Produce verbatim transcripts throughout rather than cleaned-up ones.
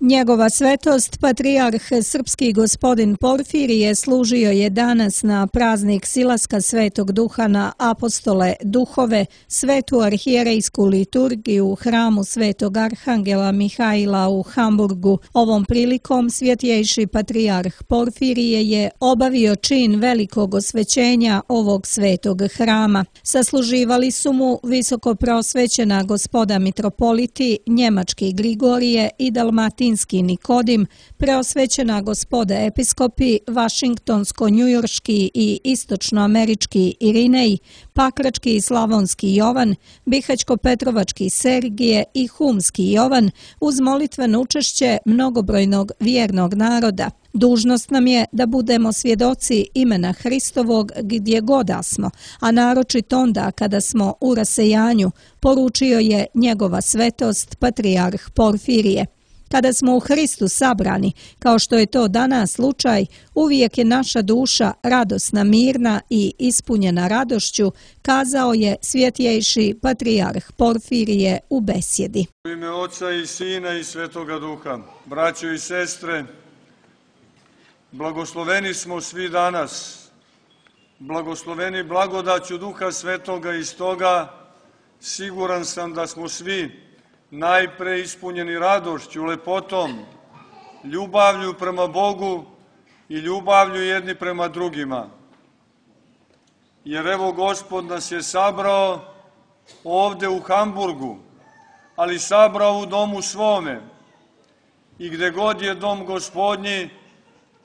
Njegova svetost, patrijarh srpski gospodin Porfirije, služio je danas na praznik silaska Svetog Duha na apostole duhove, svetu arhijerejsku liturgiju u hramu Svetog Arhangela Mihaila u Hamburgu. Ovom prilikom svjetjejši patrijarh Porfirije je obavio čin velikog osvećenja ovog svetog hrama. Sasluživali su mu visoko prosvećena gospoda mitropoliti, njemački Grigorije i dalmatinski Nikodim, preosvećena gospoda episkopi, vašingtonsko-njujorški i istočnoamerički Irinej, pakrački i slavonski Jovan, bihaćko-petrovački Sergije i humski Jovan, uz molitveno učešće mnogobrojnog vjernog naroda. Dužnost nam je da budemo svjedoci imena Hristovog gdje god da smo, a naročito onda kada smo u rasejanju, poručio je njegova svetost patrijarh Porfirije. Kada smo u Hristu sabrani, kao što je to danas slučaj, uvijek je naša duša radosna, mirna i ispunjena radošću, kazao je svjetjejši patrijarh Porfirije u besjedi. U ime Oca i Sina i Svetoga Duha, braćo i sestre, blagosloveni smo svi danas, blagosloveni blagodaću Duha Svetoga i stoga siguran sam da smo svi najpre ispunjeni radošću, lepotom, ljubavlju prema Bogu i ljubavlju jedni prema drugima. Jer evo Gospod nas je sabrao ovde u Hamburgu, ali sabrao u domu svome. I gde god je dom Gospodnji,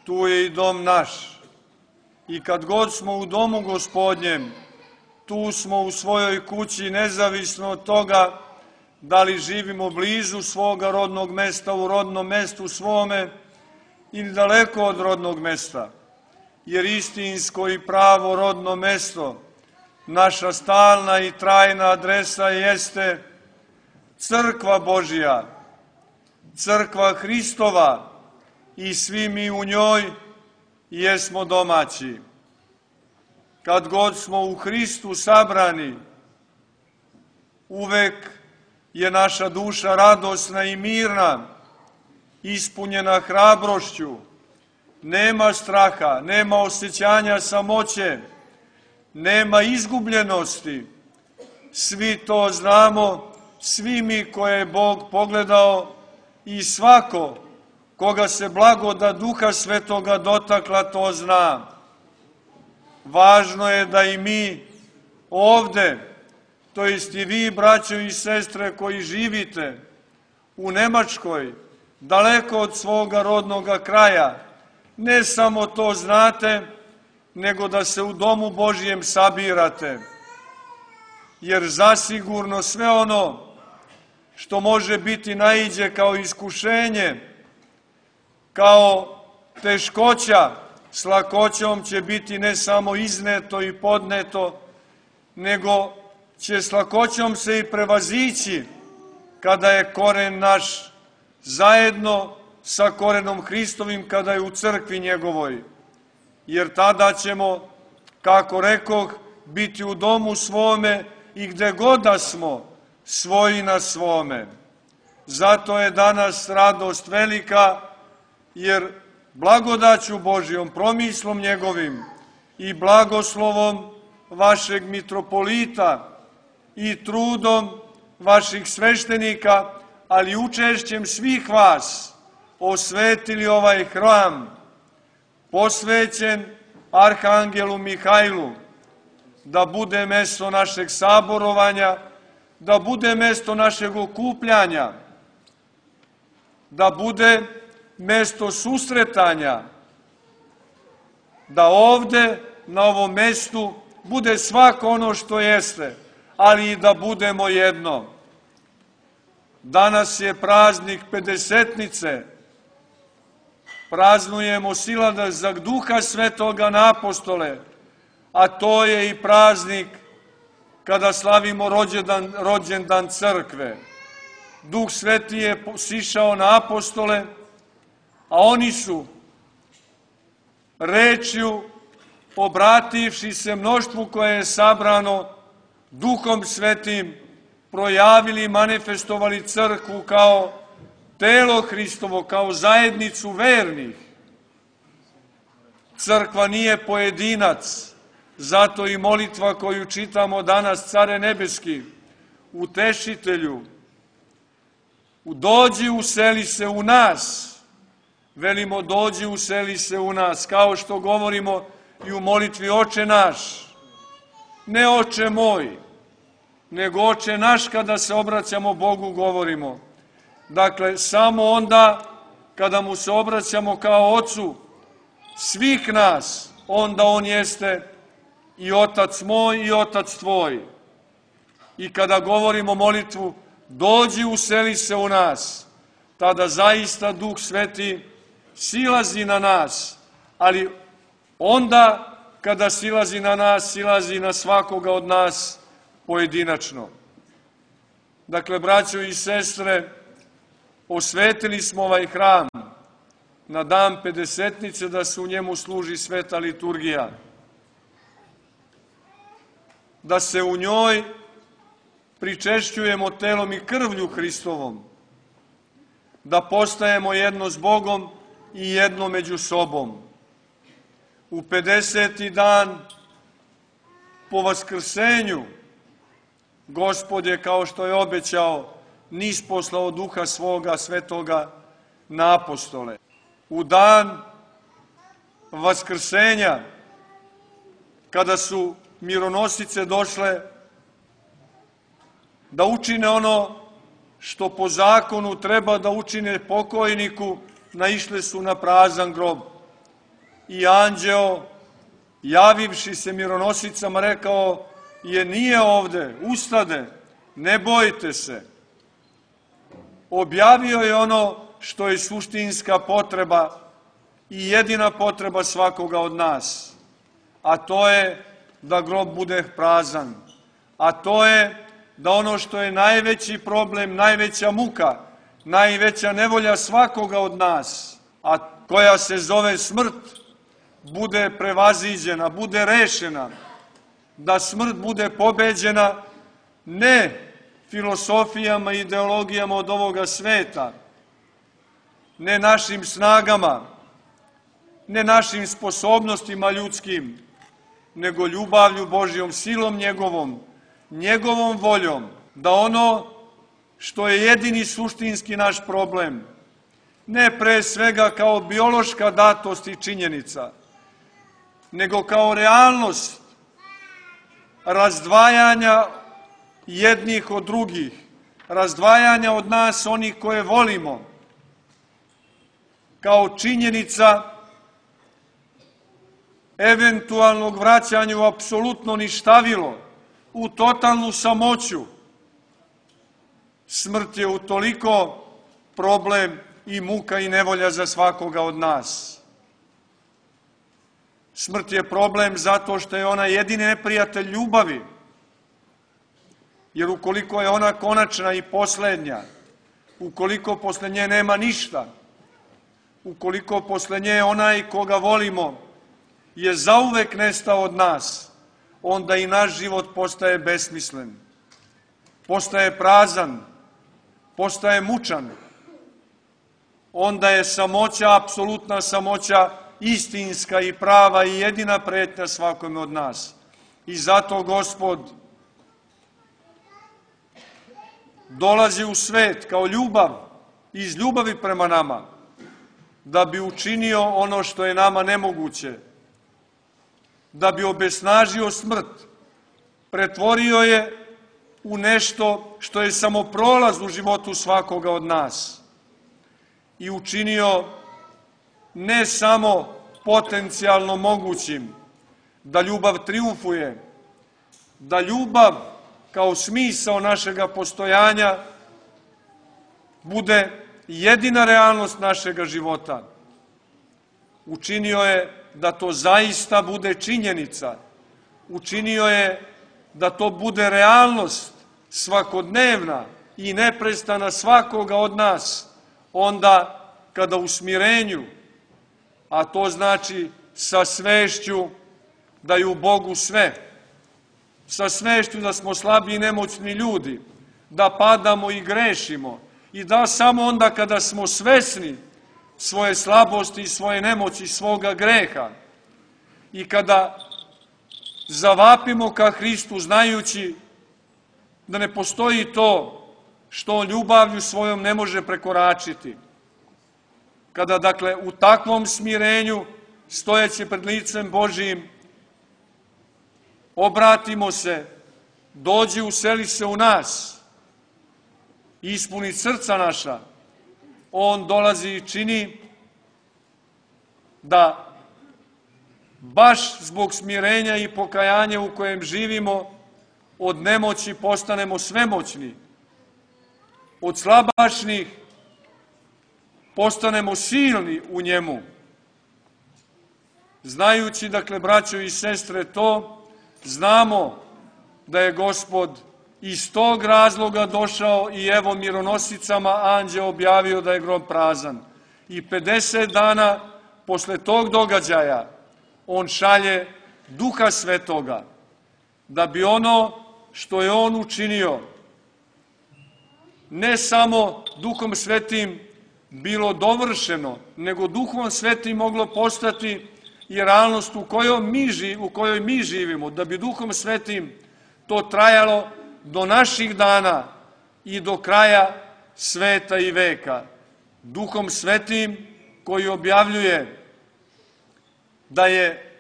tu je i dom naš. I kad god smo u domu Gospodnjem, tu smo u svojoj kući, nezavisno od toga da li živimo blizu svoga rodnog mesta, u rodnom mestu svome ili daleko od rodnog mesta. Jer istinsko i pravo rodno mesto, naša stalna i trajna adresa jeste Crkva Božja, Crkva Hristova i svi mi u njoj jesmo domaći. Kad god smo u Hristu sabrani, uvek je naša duša radosna i mirna, ispunjena hrabrošću, nema straha, nema osjećanja samoće, nema izgubljenosti. Svi to znamo, svi mi koje je Bog pogledao i svako koga se blagodat Duha Svetoga dotakla to zna. Važno je da i mi ovde, to jest i vi, braćo i sestre, koji živite u Nemačkoj, daleko od svoga rodnoga kraja, ne samo to znate, nego da se u domu Božjem sabirate. Jer zasigurno sve ono što može biti naiđe kao iskušenje, kao teškoća, s lakoćom će biti ne samo izneto i podneto, nego će s lakoćom se i prevazići kada je koren naš zajedno sa korenom Hristovim, kada je u crkvi njegovoj. Jer tada ćemo, kako rekoh, biti u domu svome i gde god da smo, svoji na svome. Zato je danas radost velika, jer blagodaću Božjom, promislom njegovim i blagoslovom vašeg mitropolita i trudom vaših sveštenika, ali učešćem svih vas, osvetili ovaj hram, posvećen Arhangelu Mihajlu, da bude mesto našeg saborovanja, da bude mesto našeg okupljanja, da bude mesto susretanja, da ovde, na ovom mestu, bude svako ono što jeste, ali i da budemo jedno. Danas je praznik Pedesetnice, praznujemo silazak Duha Svetoga na apostole, a to je i praznik kada slavimo rođendan, rođendan crkve. Duh Sveti je sišao na apostole, a oni su rečju, obrativši se mnoštvu koje je sabrano Duhom Svetim, projavili i manifestovali crkvu kao telo Hristovo kao zajednicu vernih. Crkva nije pojedinac, zato i molitva koju čitamo danas, Care nebeski, Utešitelju, dođi useli se u nas, velimo dođi useli se u nas, kao što govorimo i u molitvi Oče naš, ne Oče moj, nego Oče naš kada se obraćamo Bogu govorimo. Dakle, samo onda kada mu se obraćamo kao Ocu svih nas, onda on jeste i Otac moj i Otac tvoj. I kada govorimo molitvu, dođi useli se u nas, tada zaista Duh Sveti silazi na nas, ali onda kada silazi na nas, silazi na svakoga od nas pojedinačno. Dakle, braćo i sestre, osvetili smo ovaj hram na dan Pedesetnice da se u njemu služi sveta liturgija, da se u njoj pričešćujemo telom i krvlju Hristovom, da postajemo jedno s Bogom i jedno među sobom. U pedeseti dan po vaskrsenju Gospod je, kao što je obećao, nisposlao Duha svoga svetoga na apostole. U dan vaskrsenja, kada su mironosice došle da učine ono što po zakonu treba da učine pokojniku, naišle su na prazan grob. I anđeo, javivši se mironosicama, rekao je: nije ovde, ustade, ne bojte se. Objavio je ono što je suštinska potreba i jedina potreba svakoga od nas, a to je da grob bude prazan, a to je da ono što je najveći problem, najveća muka, najveća nevolja svakoga od nas, a koja se zove smrt, bude prevaziđena, bude rešena, da smrt bude pobeđena ne filosofijama i ideologijama od ovoga sveta, ne našim snagama, ne našim sposobnostima ljudskim, nego ljubavlju Božjom, silom njegovom, njegovom voljom, da ono što je jedini suštinski naš problem, ne pre svega kao biološka datost i činjenica, nego kao realnost razdvajanja jednih od drugih, razdvajanja od nas onih koje volimo, kao činjenica eventualnog vraćanja u apsolutno ništavilo, u totalnu samoću. Smrt je utoliko problem i muka i nevolja za svakoga od nas. Smrt je problem zato što je ona jedini neprijatelj ljubavi, jer ukoliko je ona konačna i poslednja, ukoliko posle nje nema ništa, ukoliko posle nje onaj koga volimo je zauvek nestao od nas, onda i naš život postaje besmislen, postaje prazan, postaje mučan. Onda je samoća, apsolutna samoća, istinska i prava i jedina pretnja svakome od nas. I zato Gospod dolazi u svet kao ljubav, iz ljubavi prema nama, da bi učinio ono što je nama nemoguće, da bi obesnažio smrt, pretvorio je u nešto što je samo prolaz u životu svakoga od nas i učinio ne samo potencijalno mogućim da ljubav triumfuje, da ljubav kao smisao našega postojanja bude jedina realnost našega života. Učinio je da to zaista bude činjenica. Učinio je da to bude realnost svakodnevna i neprestana svakoga od nas, onda kada u smirenju, a to znači sa svešću da je u Bogu sve, sa svešću da smo slabi i nemoćni ljudi, da padamo i grešimo I da samo onda kada smo svesni svoje slabosti i svoje nemoći, svoga greha i kada zavapimo ka Hristu znajući da ne postoji to što on ljubavlju svojom ne može prekoračiti. Kada, dakle, u takvom smirenju, stojeći pred licem Božijim, obratimo se, dođi, useli se u nas, ispuni srca naša, on dolazi i čini da baš zbog smirenja i pokajanja u kojem živimo, od nemoći postanemo svemoćni, od slabašnih postanemo silni u njemu. Znajući, dakle, braćo i sestre, to, znamo da je Gospod iz tog razloga došao i evo mironosicama anđeo objavio da je grob prazan. I pedeset dana posle tog događaja on šalje Duha Svetoga, da bi ono što je on učinio, ne samo Duhom Svetim bilo dovršeno, nego Duhom Svetim moglo postati i realnost u kojoj mi, u kojoj mi živimo, da bi Duhom Svetim to trajalo do naših dana i do kraja sveta i veka. Duhom Svetim koji objavljuje da je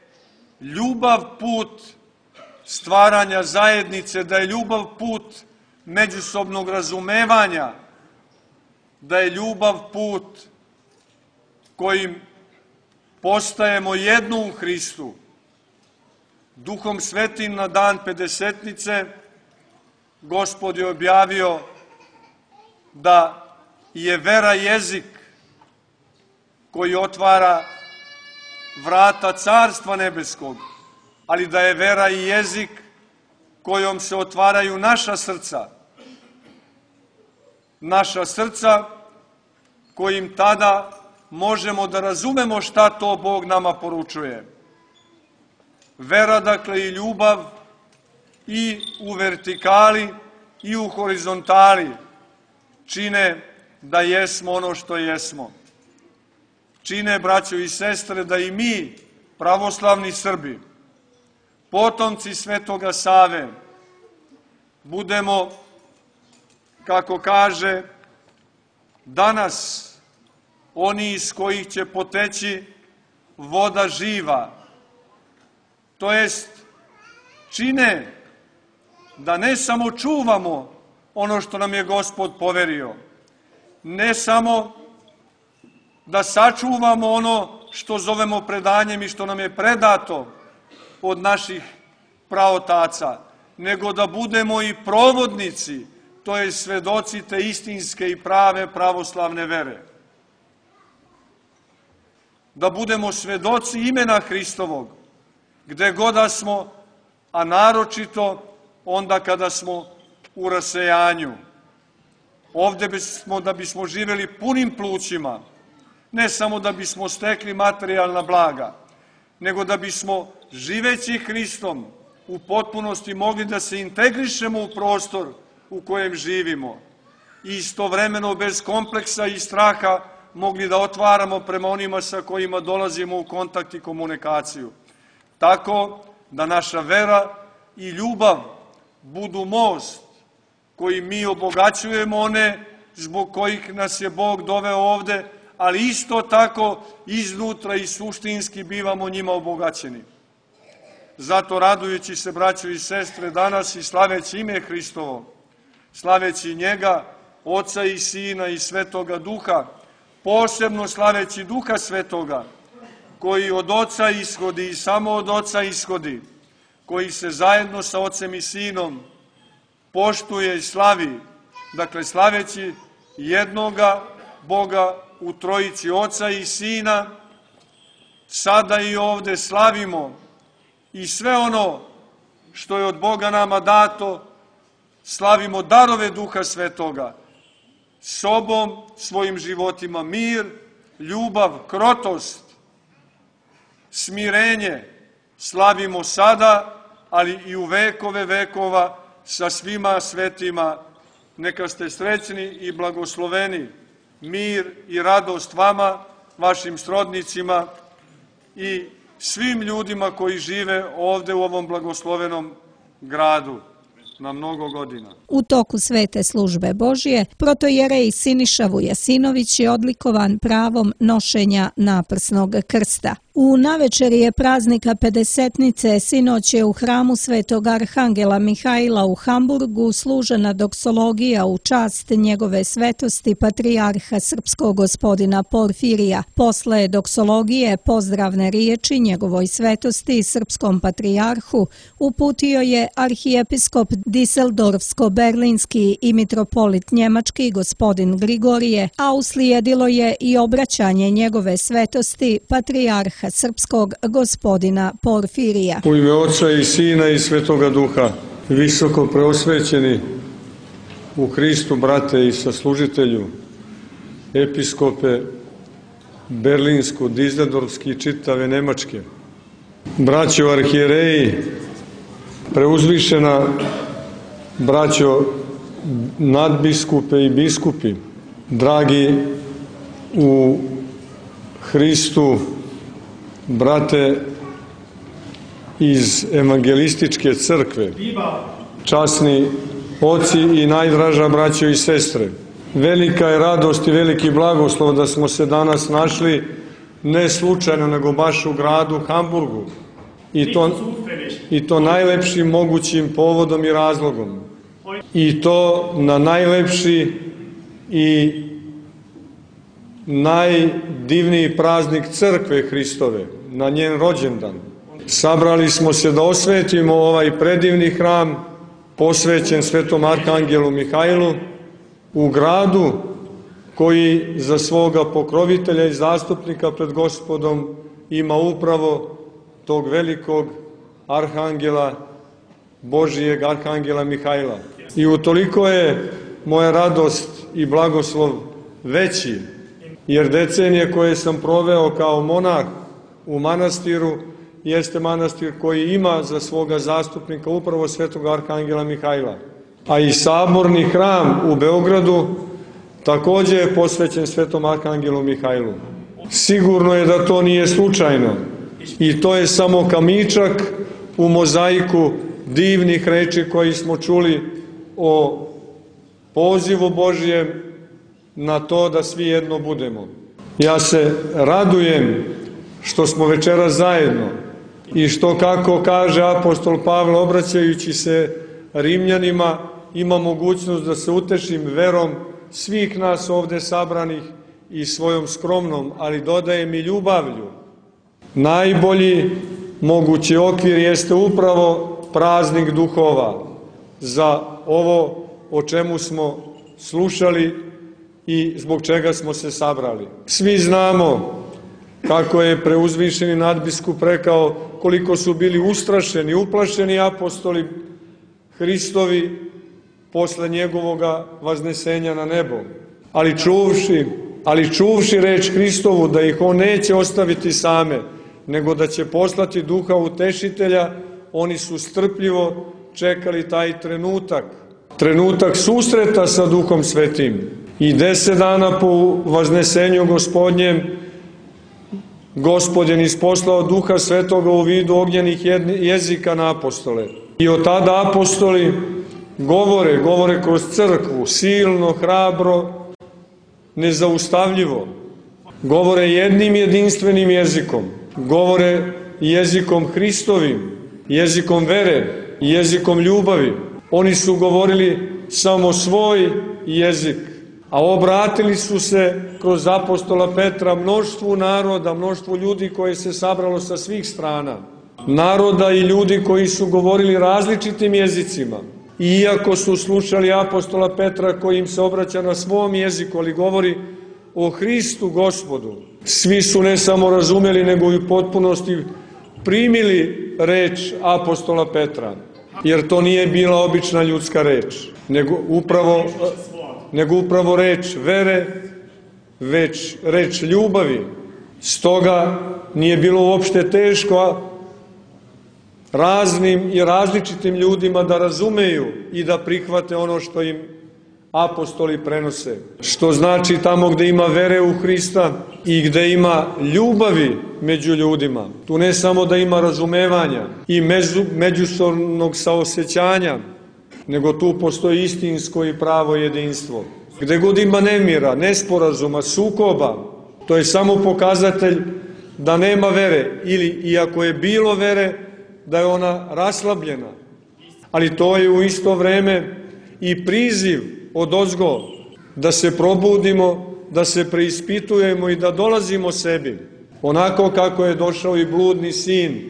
ljubav put stvaranja zajednice, da je ljubav put međusobnog razumevanja, da je ljubav put kojim postajemo jedno u Hristu. Duhom Svetim na dan Pedesetnice Gospod je objavio da je vera jezik koji otvara vrata Carstva Nebeskog, ali da je vera i jezik kojom se otvaraju naša srca. Naša srca kojim tada možemo da razumemo šta to Bog nama poručuje. Vera, dakle, i ljubav i u vertikali i u horizontali čine da jesmo ono što jesmo. Čine, braćo i sestre, da i mi, pravoslavni Srbi, potomci Svetoga Save, budemo, kako kaže, danas oni iz kojih će poteći voda živa. To jest, čine da ne samo čuvamo ono što nam je Gospod poverio, ne samo da sačuvamo ono što zovemo predanjem i što nam je predato od naših praotaca, nego da budemo i provodnici, to je svedoci te istinske i prave pravoslavne vere. Da budemo svedoci imena Hristovog, gde god da smo, a naročito onda kada smo u rasejanju. Ovde bismo, da bismo živeli punim plućima, ne samo da bismo stekli materijalna blaga, nego da bismo, živeći Hristom, u potpunosti mogli da se integrišemo u prostor u kojem živimo i istovremeno bez kompleksa i straha mogli da otvaramo prema onima sa kojima dolazimo u kontakt i komunikaciju. Tako da naša vera i ljubav budu most koji mi obogaćujemo one zbog kojih nas je Bog doveo ovde, ali isto tako iznutra i suštinski bivamo njima obogaćeni. Zato, radujući se, braćo i sestre, danas i slaveći ime Hristovo, slaveći njega, Oca i Sina i Svetoga Duha, posebno slaveći Duha Svetoga, koji od Oca ishodi i samo od Oca ishodi, koji se zajedno sa Ocem i Sinom poštuje i slavi, dakle slaveći jednoga Boga u trojici Oca i Sina, sada i ovde slavimo i sve ono što je od Boga nama dato, slavimo darove Duha Svetoga, sobom, svojim životima mir, ljubav, krotost, smirenje, slavimo sada, ali i u vekove vekova sa svima svetima. neka ste srećni i blagosloveni. Mir i radost vama, vašim srodnicima i svim ljudima koji žive ovde u ovom blagoslovenom gradu na mnogo godina. U toku svete službe Božje, protojerej Siniša Vujasinović je odlikovan pravom nošenja naprsnog krsta. U navečeri je praznika Pedesetnice sinoć je u hramu Svetog Arhangela Mihajla u Hamburgu služena doksologija u čast njegove svetosti patrijarha srpskog gospodina Porfirija. Posle doksologije pozdravne riječi njegovoj svetosti srpskom patrijarhu uputio je arhijepiskop Diseldorfsko-berlinski i mitropolit njemački gospodin Grigorije, a uslijedilo je i obraćanje njegove svetosti patrijarha srpskog gospodina Porfirija. U ime Oca i Sina i Svetoga Duha, visoko preosvećeni u Hristu, brate i saslužitelju, episkope berlinsko, dizeldorfski i čitave Nemačke, braćo arhijereji, preuzvišena braćo nadbiskupe i biskupi, dragi u Hristu, brate iz evangelističke crkve, časni oci i najdraža braćo i sestre. Velika je radost i veliki blagoslov da smo se danas našli ne slučajno, nego baš u gradu Hamburgu. I to, i to najlepšim mogućim povodom i razlogom. I to na najlepši i najdivniji praznik crkve Hristove, na njen rođendan. Sabrali smo se da osvetimo ovaj predivni hram posvećen Svetom Arhangelu Mihajlu u gradu koji za svoga pokrovitelja i zastupnika pred Gospodom ima upravo tog velikog arhangela, Božijeg arhangela Mihajla. I utoliko je moja radost i blagoslov veći, jer decenije koje sam proveo kao monah u manastiru jeste manastir koji ima za svoga zastupnika upravo Svetog arhangela Mihajla. A i saborni hram u Beogradu također je posvećen Svetom arhangelu Mihajlu. Sigurno je da to nije slučajno i to je samo kamičak u mozaiku divnih reči koji smo čuli o pozivu Božijem na to da svi jedno budemo. Ja se radujem što smo večeras zajedno i što, kako kaže apostol Pavle obraćajući se Rimljanima, ima mogućnost da se utešim verom svih nas ovde sabranih i svojom skromnom, ali dodajem i ljubavlju. Najbolji mogući okvir jeste upravo praznik duhova za ovo o čemu smo slušali i zbog čega smo se sabrali. Svi znamo kako je preuzvišeni nadbiskup rekao koliko su bili ustrašeni, uplašeni apostoli Hristovi posle njegovoga vaznesenja na nebo. Ali čuvši, ali čuvši reč Hristovu da ih on neće ostaviti same, nego da će poslati duha utešitelja, oni su strpljivo čekali taj trenutak, trenutak susreta sa Duhom Svetim. I deset dana po vaznesenju Gospodnjem, Gospod je isposlao Duha Svetoga u vidu ognjenih jezika na apostole. I od tada apostoli govore, govore kroz crkvu, silno, hrabro, nezaustavljivo. Govore jednim jedinstvenim jezikom, govore jezikom Hristovim, jezikom vere, jezikom ljubavi. Oni su govorili samo svoj jezik, a obratili su se kroz apostola Petra mnoštvu naroda, mnoštvu ljudi koje se sabralo sa svih strana. Naroda i ljudi koji su govorili različitim jezicima. Iako su slušali apostola Petra koji im se obraća na svom jeziku, ali govori o Hristu Gospodu. Svi su ne samo razumeli, nego i u potpunosti primili reč apostola Petra. Jer to nije bila obična ljudska reč, nego upravo, nego upravo reč vere, već reč ljubavi. Stoga nije bilo uopšte teško raznim i različitim ljudima da razumeju i da prihvate ono što im apostoli prenose. Što znači tamo gde ima vere u Hrista i gde ima ljubavi među ljudima. Tu ne samo da ima razumevanja i među, međusobnog saosećanja, nego tu postoji istinsko i pravo jedinstvo. Gde god ima nemira, nesporazuma, sukoba, to je samo pokazatelj da nema vere ili, iako je bilo vere, da je ona raslabljena. Ali to je u isto vreme i priziv odozgo da se probudimo, da se preispitujemo i da dolazimo sebi. Onako kako je došao i bludni sin,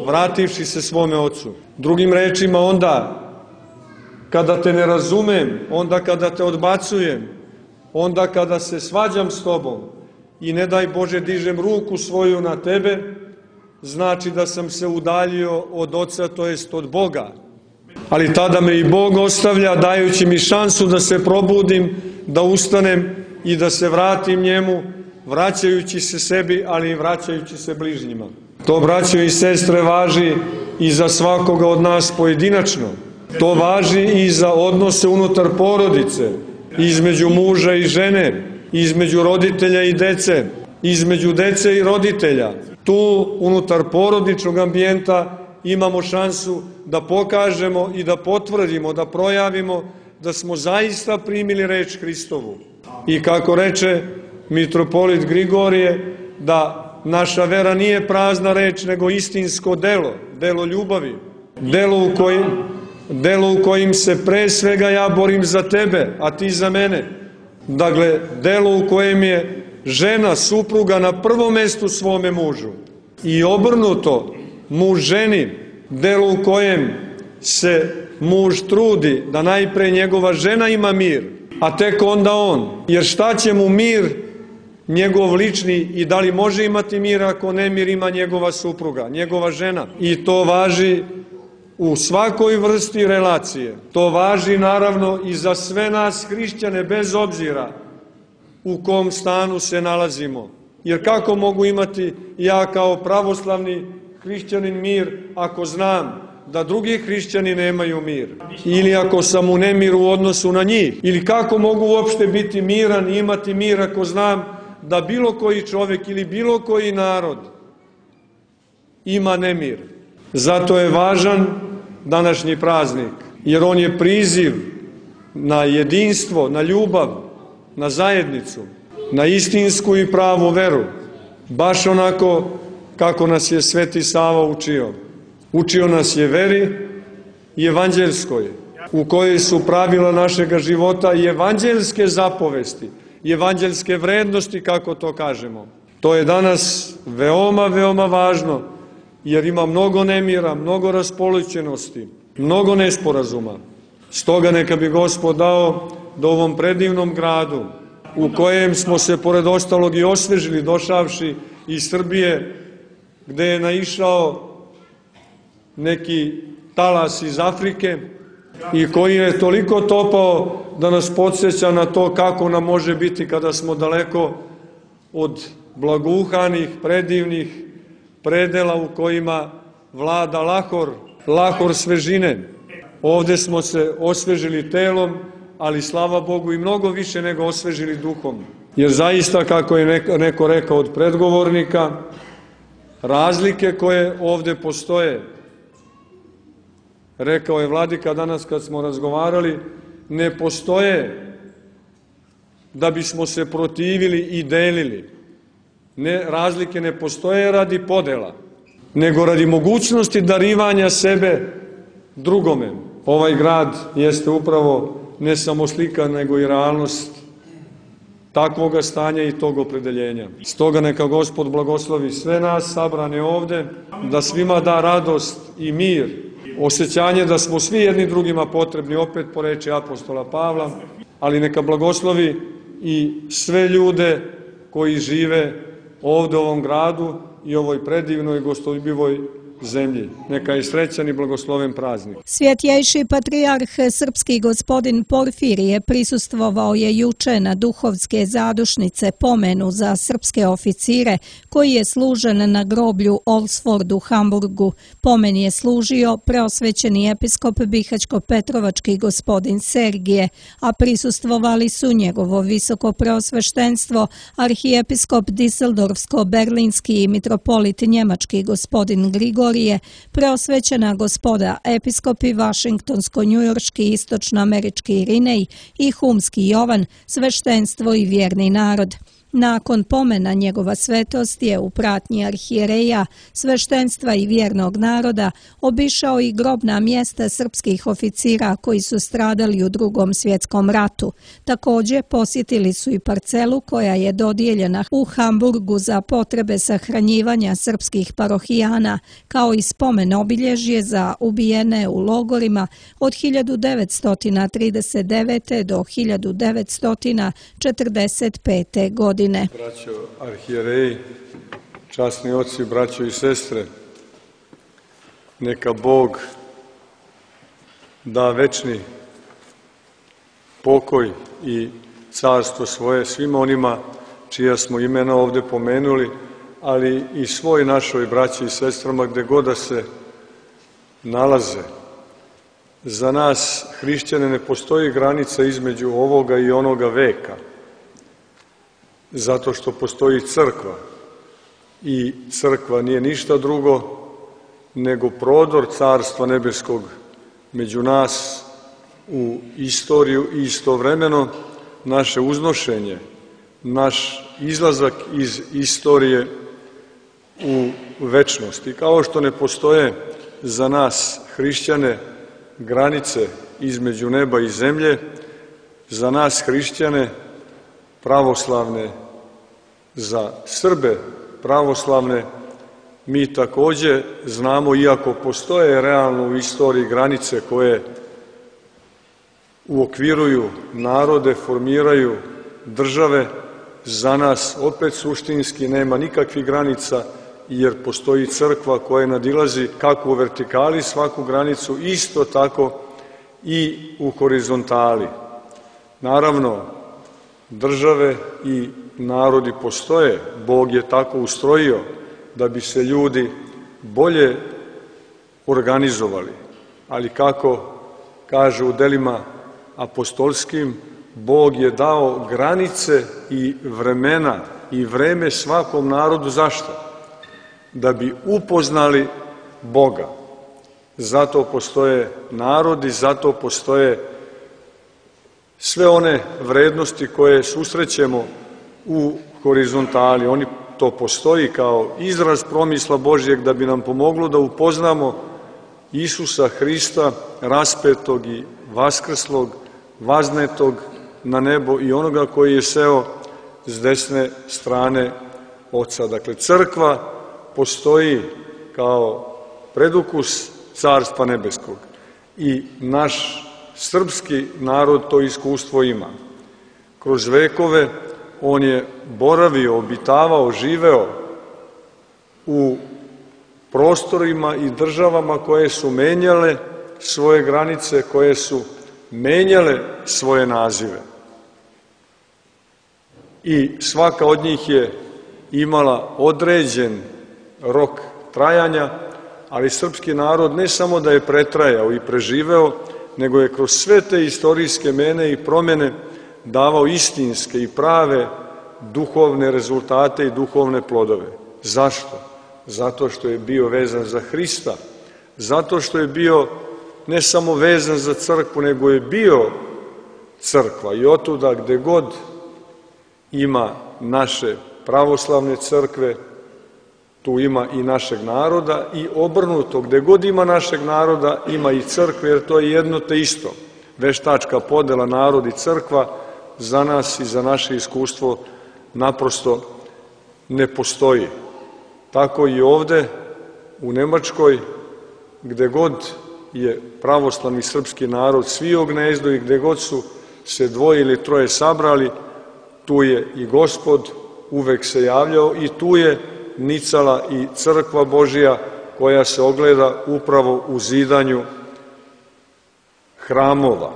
vrativši se svome ocu. Drugim rečima, onda kada te ne razumem, onda kada te odbacujem, onda kada se svađam s tobom i ne daj Bože dižem ruku svoju na tebe, znači da sam se udaljio od Oca, to jest od Boga. Ali tada me i Bog ostavlja, dajući mi šansu da se probudim, da ustanem i da se vratim njemu, vraćajući se sebi, ali i vraćajući se bližnjima. To, braćo i sestre, važi i za svakoga od nas pojedinačno. To važi i za odnose unutar porodice, između muža i žene, između roditelja i dece, između dece i roditelja. Tu, unutar porodičnog ambijenta, imamo šansu da pokažemo i da potvrdimo, da projavimo da smo zaista primili reč Hristovu. I kako reče mitropolit Grigorije, da naša vera nije prazna reč, nego istinsko delo, delo ljubavi, delo u kojim, delo u kojim se pre svega ja borim za tebe, a ti za mene. Dakle, delo u kojem je žena, supruga na prvom mestu svome mužu. I obrnuto, muž ženi, delo u kojem se muž trudi da najpre njegova žena ima mir, a tek onda on. Jer šta će mu mir njegov lični i da li može imati mir ako nemir ima njegova supruga, njegova žena? I to važi u svakoj vrsti relacije. To važi naravno i za sve nas hrišćane, bez obzira u kom stanu se nalazimo. Jer kako mogu imati ja kao pravoslavni hrišćanin mir ako znam da drugi hrišćani nemaju mir? Ili ako sam u nemiru u odnosu na njih? Ili kako mogu uopšte biti miran i imati mir ako znam da bilo koji čovjek ili bilo koji narod ima nemir? Zato je važan današnji praznik, jer on je priziv na jedinstvo, na ljubav, na zajednicu, na istinsku i pravu veru, baš onako kako nas je Sveti Sava učio. Učio nas je veri i evanđelskoj, u kojoj su pravila našega života i evanđelske zapovesti, i evanđelske vrednosti, kako to kažemo. To je danas veoma, veoma važno, jer ima mnogo nemira, mnogo raspoloćenosti, mnogo nesporazuma. Stoga neka bi Gospod dao da u ovom predivnom gradu, u kojem smo se pored ostalog i osvežili, došavši iz Srbije, gde je naišao neki talas iz Afrike i koji je toliko topao da nas podsjeća na to kako nam može biti kada smo daleko od blaguhanih, predivnih predela u kojima vlada lahor, lahor svežine. Ovde smo se osvežili telom, ali slava Bogu i mnogo više nego osvežili duhom. Jer zaista, kako je neko rekao od predgovornika, razlike koje ovde postoje, rekao je vladika danas kad smo razgovarali, ne postoje da bismo se protivili i delili. Ne, razlike ne postoje radi podela, nego radi mogućnosti darivanja sebe drugome. Ovaj grad jeste upravo ne samo slika, nego i realnost takvoga stanja i tog opredeljenja. Stoga neka Gospod blagoslovi sve nas sabrane ovde, da svima da radost i mir, osjećanje da smo svi jedni drugima potrebni, opet po reči apostola Pavla, ali neka blagoslovi i sve ljude koji žive ovde u ovom gradu i ovoj predivnoj gostoljubivoj zemlji. Neka je srećan i blagosloven praznik. Svjetjejši patrijarh srpski gospodin Porfirije prisustvovao je juče na duhovske zadušnice pomenu za srpske oficire koji je služen na groblju Olsford u Hamburgu. Pomen je služio preosvećeni episkop Bihaćko-Petrovački gospodin Sergije, a prisustvovali su njegovo visoko preosveštenstvo, arhijepiskop Diseldorfsko-Berlinski i mitropolit njemački gospodin Grigorije, preosvećena gospoda episkopi Vašingtonsko-njujorški, istočnoamerički Irinej i Humski Jovan, sveštenstvo i vjerni narod. Nakon pomena njegova svetost je u pratnji arhijereja, sveštenstva i vjernog naroda obišao i grobna mjesta srpskih oficira koji su stradali u Drugom svjetskom ratu. Također posjetili su i parcelu koja je dodijeljena u Hamburgu za potrebe sahranjivanja srpskih parohijana, kao i spomen obilježje za ubijene u logorima od hiljadu devetsto trideset devete. do hiljadu devetsto četrdeset pete. godine. Braćo arhijereji, časni oci, braćo i sestre, neka Bog da večni pokoj i carstvo svoje svima onima čija smo imena ovdje pomenuli, ali i svoj našoj braći i sestrama gdje god da se nalaze. Za nas, hrišćane, ne postoji granica između ovoga i onoga veka, zato što postoji crkva i crkva nije ništa drugo nego prodor Carstva nebeskog među nas u istoriju i istovremeno naše uznošenje, naš izlazak iz istorije u večnosti. Kao što ne postoje za nas hrišćane granice između neba i zemlje, za nas hrišćane pravoslavne, za Srbe pravoslavne, mi također znamo, iako postoje realno u istoriji granice koje uokviruju narode, formiraju države, za nas opet suštinski nema nikakvih granica, jer postoji crkva koja nadilazi kako u vertikali svaku granicu, isto tako i u horizontali. Naravno, države i narodi postoje, Bog je tako ustrojio da bi se ljudi bolje organizovali, ali kako kaže u delima apostolskim, Bog je dao granice i vremena i vreme svakom narodu. Zašto? Da bi upoznali Boga. Zato postoje narodi, zato postoje sve one vrednosti koje susrećemo u horizontali. Oni to postoji kao izraz promisla Božjeg da bi nam pomoglo da upoznamo Isusa Hrista, raspetog i vaskrslog, vaznetog na nebo i onoga koji je seo s desne strane Oca. Dakle, crkva postoji kao predukus Carstva nebeskog i naš srpski narod to iskustvo ima. Kroz vekove on je boravio, obitavao, živeo u prostorima i državama koje su menjale svoje granice, koje su menjale svoje nazive. I svaka od njih je imala određen rok trajanja, ali srpski narod ne samo da je pretrajao i preživeo, nego je kroz sve te istorijske mene i promjene davao istinske i prave duhovne rezultate i duhovne plodove. Zašto? Zato što je bio vezan za Hrista, zato što je bio ne samo vezan za crkvu, nego je bio crkva i otuda gde god ima naše pravoslavne crkve, tu ima i našeg naroda i obrnuto, gde god ima našeg naroda, ima i crkve, jer to je jedno te isto. Veštačka podela narod i crkva za nas i za naše iskustvo naprosto ne postoji. Tako i ovde u Nemačkoj, gde god je pravoslavni srpski narod svio gnezdo i gde god su se dvoje ili troje sabrali, tu je i Gospod uvek se javljao i tu je nicala i crkva Božija koja se ogleda upravo u zidanju hramova.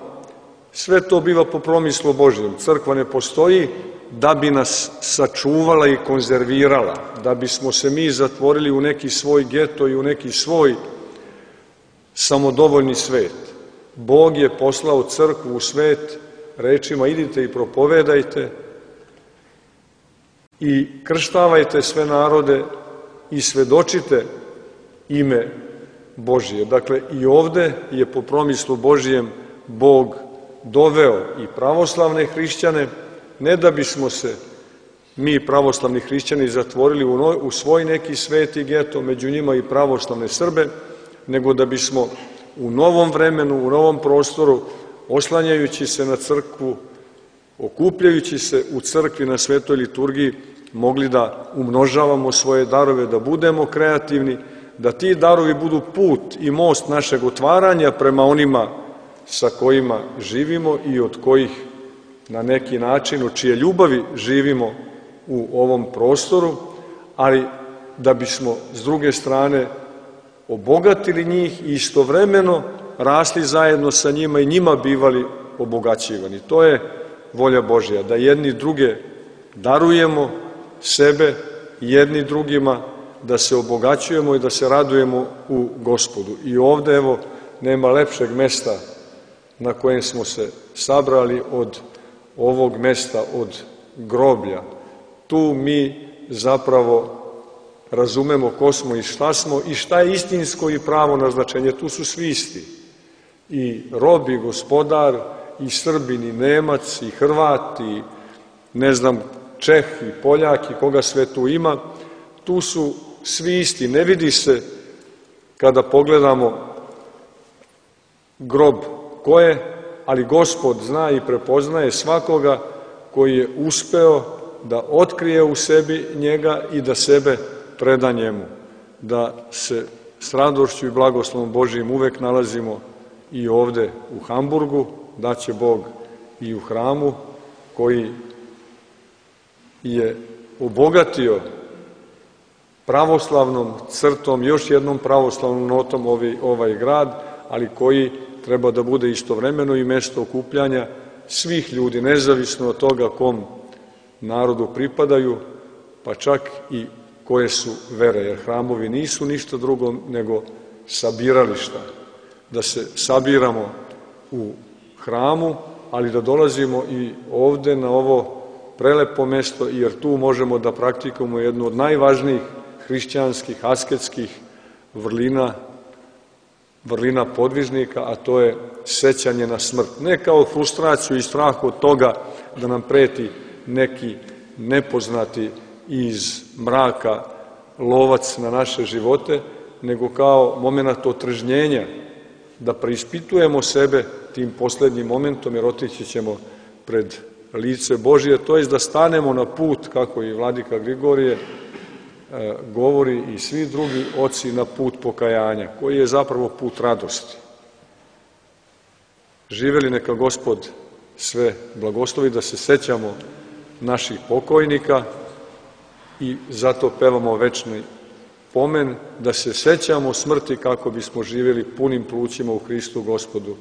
Sve to biva po promislu Božjem. Crkva ne postoji da bi nas sačuvala i konzervirala, da bismo se mi zatvorili u neki svoj geto i u neki svoj samodovoljni svet. Bog je poslao crkvu u svet rečima idite i propovedajte i krštavajte sve narode i svedočite ime Božije. Dakle, i ovde je po promislu Božijem Bog doveo i pravoslavne hrišćane, ne da bismo se mi pravoslavni hrišćani zatvorili u, no, u svoj neki sveti geto, među njima i pravoslavne Srbe, nego da bismo u novom vremenu, u novom prostoru, oslanjajući se na crkvu, okupljajući se u crkvi na svetoj liturgiji, mogli da umnožavamo svoje darove, da budemo kreativni, da ti darovi budu put i most našeg otvaranja prema onima sa kojima živimo i od kojih na neki način, u čije ljubavi živimo u ovom prostoru, ali da bismo s druge strane obogatili njih i istovremeno rasli zajedno sa njima i njima bivali obogaćivani. To je volja Božja, da jedni druge darujemo sebe jedni drugima, da se obogaćujemo i da se radujemo u Gospodu. I ovde, evo, nema lepšeg mesta na kojem smo se sabrali od ovog mesta, od groblja. Tu mi zapravo razumemo ko smo i šta smo i šta je istinsko i pravo naznačenje. Tu su svi isti. I rob i gospodar, i Srbin, i Nemac, i Hrvat, i ne znam, Čeh, i Poljak, i koga sve tu ima. Tu su svi isti. Ne vidi se kada pogledamo grob ko je, ali Gospod zna i prepoznaje svakoga koji je uspeo da otkrije u sebi njega i da sebe preda njemu. Da se s radošću i blagoslovom Božijim uvek nalazimo i ovde u Hamburgu, da će Bog i u hramu koji je obogatio pravoslavnom crtom, još jednom pravoslavnom notom ovaj, ovaj grad, ali koji treba da bude istovremeno i mesto okupljanja svih ljudi, nezavisno od toga kom narodu pripadaju, pa čak i koje su vere, jer hramovi nisu ništa drugo nego sabirališta. Da se sabiramo u hramu, ali da dolazimo i ovde na ovo prelepo mesto, jer tu možemo da praktikujemo jednu od najvažnijih hrišćanskih, asketskih vrlina, vrlina podvižnika, a to je sećanje na smrt. Ne kao frustraciju i strah od toga da nam preti neki nepoznati iz mraka lovac na naše živote, nego kao moment otržnjenja, da preispitujemo sebe tim poslednjim momentom, jer otići ćemo pred lice Božije, to je da stanemo na put, kako i vladika Grigorije e, govori i svi drugi oci, na put pokajanja, koji je zapravo put radosti. Živeli neka Gospod sve blagoslovi, da se sećamo naših pokojnika i zato pevamo večni pomen, da se sećamo smrti kako bismo živjeli punim plućima u Hristu Gospodu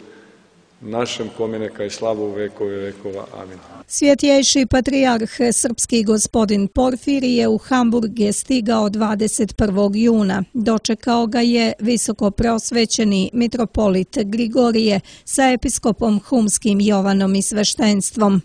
našem, kome neka je slava u vekove vekova. Amin. Svjetjejši patrijarh srpski gospodin Porfirije u Hamburg je stigao dvadeset prvog juna. Dočekao ga je visoko prosvećeni mitropolit Grigorije sa episkopom humskim Jovanom i sveštenstvom.